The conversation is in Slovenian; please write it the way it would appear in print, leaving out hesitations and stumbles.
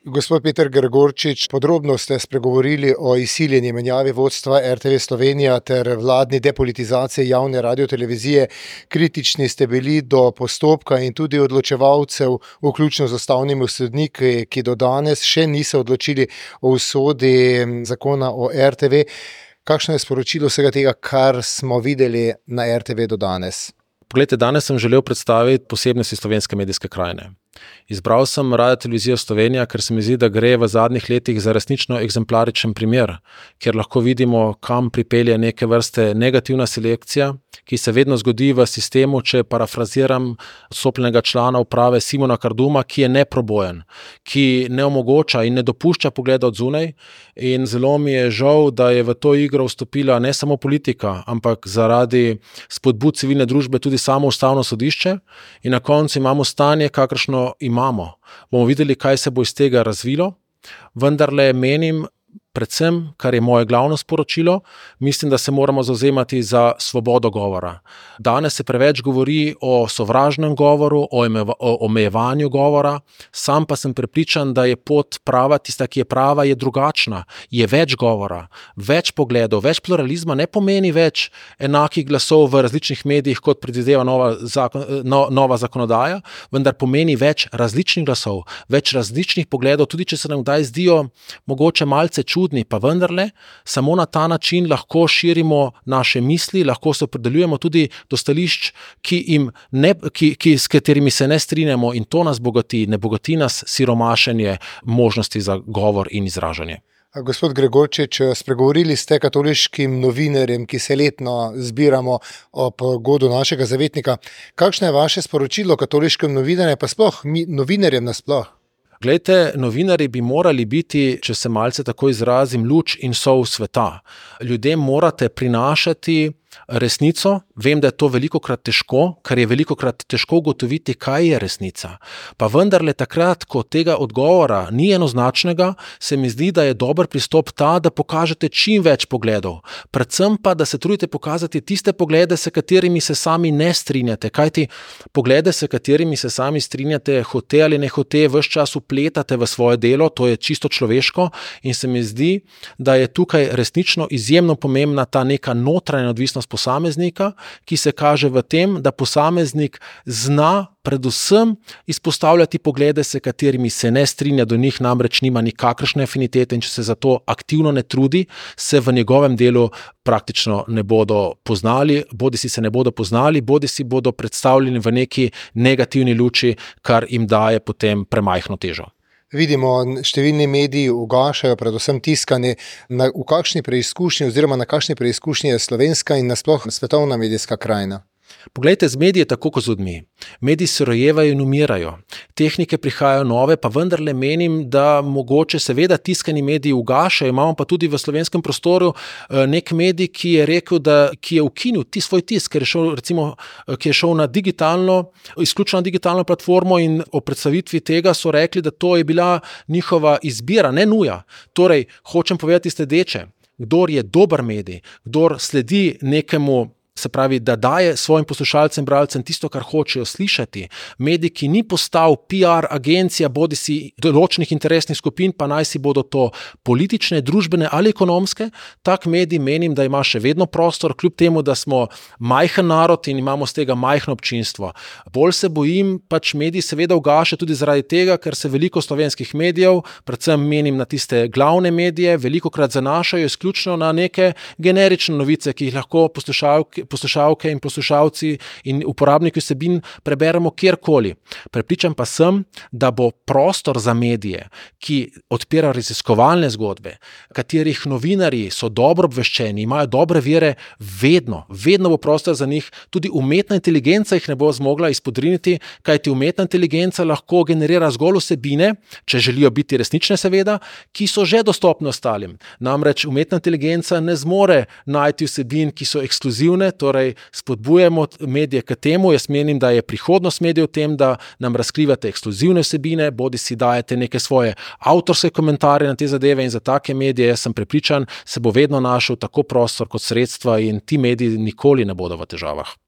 Gospod Peter Gregorčič, podrobno ste spregovorili o izsiljeni menjavi vodstva RTV Slovenija ter vladni depolitizaciji javne radiotelevizije. Kritični ste bili do postopka in tudi odločevalcev, vključno z ustavnimi sodniki, ki do danes še niso odločili o usodi zakona o RTV. Kakšno je sporočilo vsega tega, kar smo videli na RTV do danes? Poglejte, danes sem želel predstaviti posebnosti slovenske medijske krajine. Izbral sem Radiotelevizijo Slovenija, ker se mi zdi, da gre v zadnjih letih za resnično eksemplaričen primer, kjer lahko vidimo, kam pripelje neke vrste negativna selekcija, ki se vedno zgodi v sistemu, če parafraziram odstopljenega člana uprave Simona Karduma, ki je neprobojen, ki ne omogoča in ne dopušča pogleda od zunaj. In zelo mi je žal, da je v to igro vstopila ne samo politika, ampak zaradi spodbud civilne družbe tudi samo Ustavno sodišče. In na koncu imamo stanje, kakršno imamo. Bomo videli, kaj se bo iz tega razvilo, vendarle menim, predvsem, kar je moje glavno sporočilo, mislim, da se moramo zavzemati za svobodo govora. Danes se preveč govori o sovražnem govoru, o omejevanju govora, sam pa sem prepričan, da je pot prava, tista, ki je prava, je drugačna. Je več govora, več pogledov, več pluralizma ne pomeni več enakih glasov v različnih medijih, kot predvideva nova zakonodaja, vendar pomeni več različnih glasov, več različnih pogledov, tudi če se nam kdaj zdijo mogoče malce čudni, pa vendarle, samo na ta način lahko širimo naše misli, lahko se opredeljujemo tudi do stališč, s katerimi se ne strinjamo, in to nas bogati, ne bogati nas siromašenje možnosti za govor in izražanje. Gospod Gregorčič, spregovorili ste katoliškim novinarjem, ki se letno zbiramo ob godu našega zavetnika. Kakšno je vaše sporočilo katoliškim novinarjem, pa sploh novinarjem nasploh? Glejte, novinarji bi morali biti, če se malce tako izrazim, luč in sol sveta. Ljudem morate prinašati resnico. Vem, da je to velikokrat težko, ker je velikokrat težko ugotoviti, kaj je resnica. Pa vendarle takrat, ko tega odgovora ni enoznačnega, se mi zdi, da je dober pristop ta, da pokažete čim več pogledov. Predvsem pa, da se trudite pokazati tiste poglede, s katerimi se sami ne strinjate. Kajti poglede, s katerimi se sami strinjate, hote ali ne hote, ves čas vpletate v svoje delo, to je čisto človeško, in se mi zdi, da je tukaj resnično izjemno pomembna ta neka notranja odvisnost posameznika, ki se kaže v tem, da posameznik zna predvsem izpostavljati poglede, s katerimi se ne strinja, do njih namreč nima nikakršne afinitete, in če se za to aktivno ne trudi, se v njegovem delu praktično ne bodo poznali, bodisi se ne bodo poznali, bodisi bodo predstavljeni v neki negativni luči, kar jim daje potem premajhno težo. Vidimo, številni mediji ugašajo, predvsem tiskani. V kakšni preizkušnji oziroma na kakšni preizkušnji je slovenska in nasploh svetovna medijska krajina? Poglejte, z mediji je tako kot z ljudmi. Mediji se rojevajo in umirajo. Tehnike prihajajo nove, pa vendarle menim, da mogoče seveda tiskani mediji ugašajo. Imamo pa tudi v slovenskem prostoru nek medij, ki je rekel, ki je ukinil svoj tisk, ki je šel na izključno na digitalno platformo, in o predstavitvi tega so rekli, da to je bila njihova izbira, ne nuja. Torej, hočem povedati sledeče: kdor je dober medij, kdor sledi nekemu, se pravi, da daje svojim poslušalcem, bralcem tisto, kar hočejo slišati, medij, ki ni postal PR agencija bodisi določenih interesnih skupin, pa naj si bodo to politične, družbene ali ekonomske, tak medij menim, da ima še vedno prostor, kljub temu, da smo majhen narod in imamo z tega majhno občinstvo. Bolj se bojim, mediji seveda ugaša tudi zaradi tega, ker se veliko slovenskih medijev, predvsem menim na tiste glavne medije, velikokrat zanašajo izključno na neke generične novice, ki jih lahko poslušalke in poslušalci in uporabniki vsebin preberemo kjerkoli. Prepričan pa sem, da bo prostor za medije, ki odpirajo raziskovalne zgodbe, katerih novinarji so dobro obveščeni, imajo dobre vire, vedno bo prostor za njih. Tudi umetna inteligenca jih ne bo zmogla izpodriniti, kajti umetna inteligenca lahko generira zgolj vsebine, če želijo biti resnične seveda, ki so že dostopne ostalim. Namreč umetna inteligenca ne zmore najti vsebin, ki so ekskluzivne, torej spodbujamo medije k temu. Jaz menim, da je prihodnost medijev v tem, da nam razkrivate ekskluzivne vsebine, bodisi dajete neke svoje avtorske komentarje na te zadeve, in za take medije, jaz sem prepričan, se bo vedno našel tako prostor kot sredstva, in ti mediji nikoli ne bodo v težavah.